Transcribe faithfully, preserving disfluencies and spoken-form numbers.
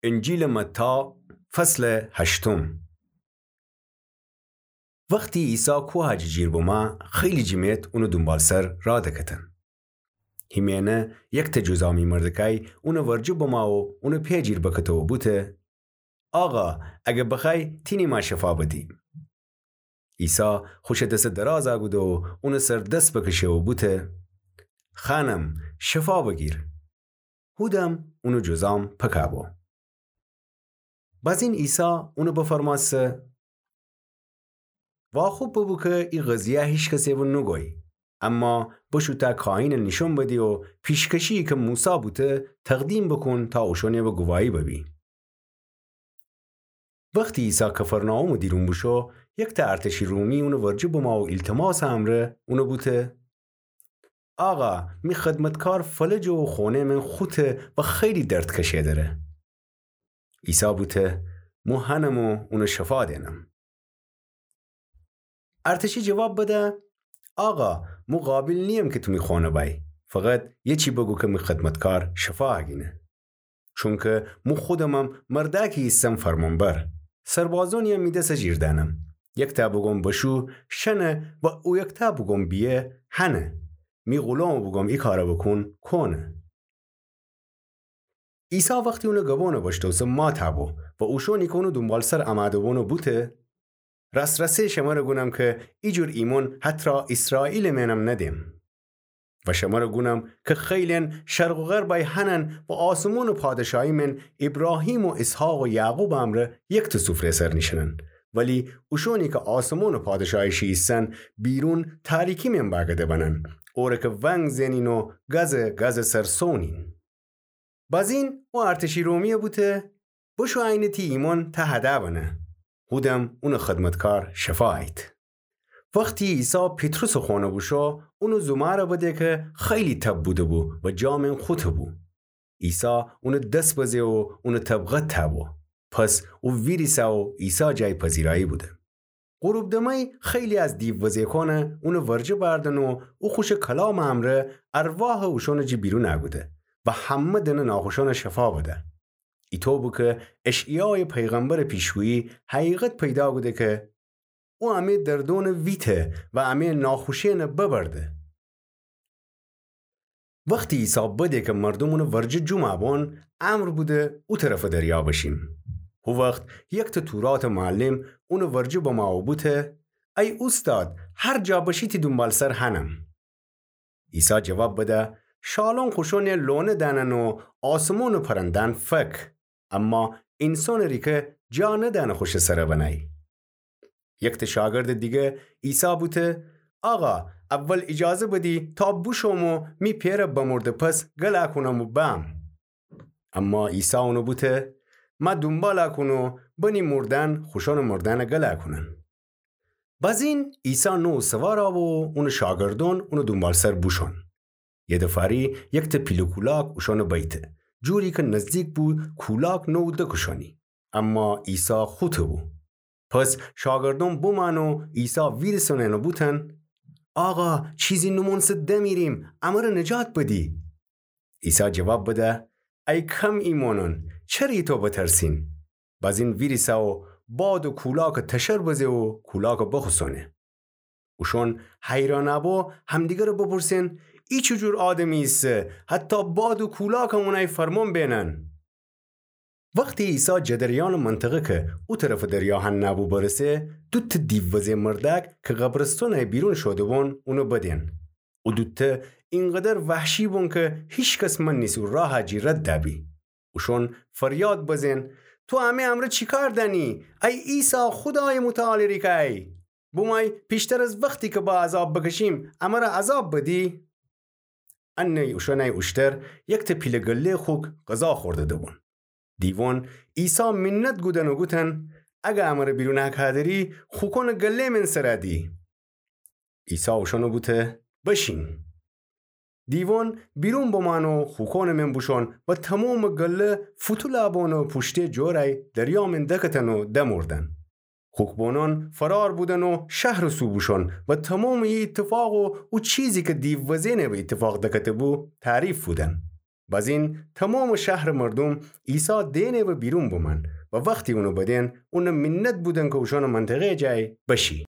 انجیلٚ متی، فصلٚ هشتم. وختی عیسی کوهٚ جی جیر بمه، خیلی جمعیت اونٚ دونبالسر راه دکتن. هیمه‌یأنه یکتأ جذامی مردکأی اونٚ ورجه بمه و اونٚ پی جیر بکته و بوته: آقا، اگر بخوأیی، تینی مه شفا بدی. عیسی خوشٚ دسه دراز کوده و اونٚ سر دس بکشه و بوته: خانم، شفا بگیر. هودم اونٚ جذام پکه بو. بازین عیسی اونٚ بفرمأسه: واخوب ببو کی ای قضیه هیکسٚ ره نوگویی، اما بشو تا کاهینٚ نیشون بدی و پیشکشی‌یی کی موسی بوته تقدیم بوکون تا اوشأنٚ به گواهی ببی. وختی عیسی کفرناحومٚ دیرون بوشو، یکتأ ارتشی رومی اونٚ ورجه بمه و ایلتماسٚ امرأ اونٚ بوته: آقا، می خدمتکار فلجه و خونه‌یٚ من خوته و خیلی درد کشئه دره. عیسی بوته: مو هنم و اونٚ شفا دئنم. ارتشی جواب بده: آقا، مو قابل نییم کی تو می خونه بأیی. فقط یه چی بگو کی می خدمتکار شفا هگینه. چونکی مو خودمم مردأکی ایسم فرمانبر. سربازونی‌یم می دسٚ جیر دأنم. یکتأ بوگوم بشو، شنه و او یکتأ بوگوم بیه، هنه. می غولامٚ بوگوم ای کارٚ بوکون، کونه. عیسی وختی اونٚ گبونٚ بشتوسه مات بو و اوشونی کی اونٚ دونبالسر امأده بونٚ بوته: راس‌راسی شمره گونم کی ایجور ایمون حتی ایسرائیلٚ مئنم ندیم. و شمره گونم کی خیلی‌یأن شرق و غربأی هنن و آسمونٚ پادشاهی مئن ایبراهیم و اسحاق و یعقوبٚ امرأ یکتأ سفره‌یٚ سر نیشینن. ولی اوشونی کی آسمونٚ پادشاهی شی ایسن، بیرون تاریکی مئن بأگده بنن، اوره کی ونگ زئنین و گازٚ گازٚ سر سونین. بازین او ارتشی رومی‌یه بوته: بشو عینٚ تی ایمون ته هده بنه. هودم اونٚ خدمتکار شفا ایت. وختی عیسی پیطرسٚ خونه بوشو، اونٚ زومأره بده کی خیلی تب بوده‌بو و جا مئن خوته‌بو. عیسی اونٚ دس بزه و اونٚ تب قطع بو. پس او ویریسه و عیسی جای پذیرایی بوده. غروب دمأی خیلی از دیووزه‌کأن اونٚ ورجه بأردن و او خوشٚ کلامٚ امرأ ارواحٚ اوشونٚ جی بیرون کوده و همه دنٚ ناخوشأن شفا بده. ایطو بو کی اشعیایٚ پیغمبرٚ پیشگویی حقیقت پیدا کوده کی او امه دردونٚ ویته و امه ناخوشی‌یأن ببرده. وختی عیسی بده کی مردوم اونٚ ورجه جمع بون، امر بوده او طرفٚ دریا بشیم. هو وخت یکتأ توراتٚ معلم اونٚ ورجه بمه و بوته: ای اوستاد، هر جا بشی تی دونبالسر هنم. عیسی جواب بده: شالون خوشأن لونه دأنن و آسمونٚ پرنده‌یأن فک، اما اینسانٚ ریکه جا ندأنه خوشٚ سر بنأیی. یکتأ شاگردٚ دیگه عیسی بوته: آقا، اول ایجازه بدی تا بوشوم و می پئره بمرده پس گل کونم و بأم. اما عیسی اونٚ بوته: مه دونبال کون و بنی مردأن خوشأنٚ مردأن گل کونن. بازین عیسی نوو سوار بو و اونٚ شاگردون اونٚ دونبالسر بوشون. یه دفاری یکتأ پیله کولاک اوشأنٚ بیته، جوری کی نزدیک بو کولاک نوو دکشانی. اما عیسی خوته‌بو. پس شاگردون بمأن و عیسی ویریسن و بوتن: آقا، چیزی نومونسه دمیریم، امره نجات بدی. عیسی جواب بده: ای کم ایمونون، چره ایطو بترسین؟ بازین ویریسه و باد و کولاک تشر بزه و کولاک بخوسونه. اوشون حیران بو همدیگره بپرسن: ای چی جور آدمی ایسه، حتی باد و کولاکم اونأی فرمون بینن؟ وختی عیسی جدریانٚ منطقه کی او طرفٚ دریا هنه بو برسه، دوتأ دیووزه مردأک کی قبرستونأی بیرون شوده‌بون، اونه بدین. او دوتأ اینقدر وحشی بون کی هیکس منیسو راه جی رد دبی. اوشون فریاد بزین: تو امه امرأ چی کار دأنی، ای عیسی، خودایٚ متعالٚ ریکه‌ی؟ بومأی پیشتر از وختی کی با عذاب بکشیم، امره عذاب بدی؟ انه اوشونأی اوشتر یکتأ پیله گله خوک غذا خورده دبون. دیوون عیسی منت گودن و گوتن: اگه امره بیرون هکا دری، خوکون گله من سر دی. عیسی اوشون بوته: بشین. دیوون بیرون بمأن و خوکون من بوشون و تمومٚ گله فوتول بون و پوشته جورأی دریا من دکتن و دمردن. خوک‌بونون فرار بودن و شهرٚ سو بوشون و تمومٚ ای ایتفاق و او چیزی کی دیووزه‌نه به ایتفاق دکته‌بو تعریف بودن. بزین تمامٚ شهرٚ مردوم عیسی دئنٚ و بیرون بمأن و وختی اونٚ بدئن، اونٚ منت بودن کی اوشأنٚ منطقه‌یٚ جای بشی.